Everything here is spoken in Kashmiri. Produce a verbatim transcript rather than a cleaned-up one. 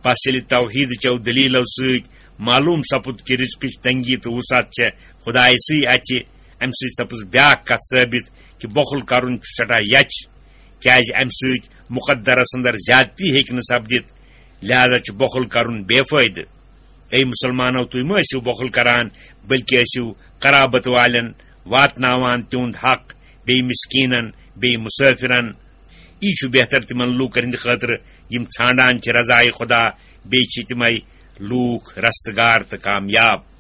پس ییٚلہِ توحیٖد چٮ۪و دٔلیٖلو سۭتۍ معلوٗم سپُد کہِ رزقٕچ تنگی تہٕ وسعت چھےٚ خدایہِ سٕے اَتھِ، اَمہِ سۭتۍ سپٕز بیٛاکھ کتھ ثٲبت کہِ بۄخُل کرُن چھُ سٮ۪ٹھاہ یچھ، کیازِ اَمہِ سۭتۍ مقدرس اندر زیادتی ہیٚکہِ نہٕ سپدِتھ، لہذا چھُ بۄخُل کرُن بے فٲیدٕ۔ اے مسلمانو، تُہۍ مہ ٲسِو بۄخُل کران، بلکہِ ٲسِو قرابت والٮ۪ن واتناوان تِہُنٛد حق، بیٚیہِ مسکیٖنن، بیٚیہِ مسافرن۔ یی چھُ بہتر تِمن لوٗکن ہٕنٛدِ خٲطرٕ یِم ژھانڈان چھِ رضایہِ خدا، بیٚیہِ چھِ تِمے لوٗکھ رستگار تہٕ کامیاب۔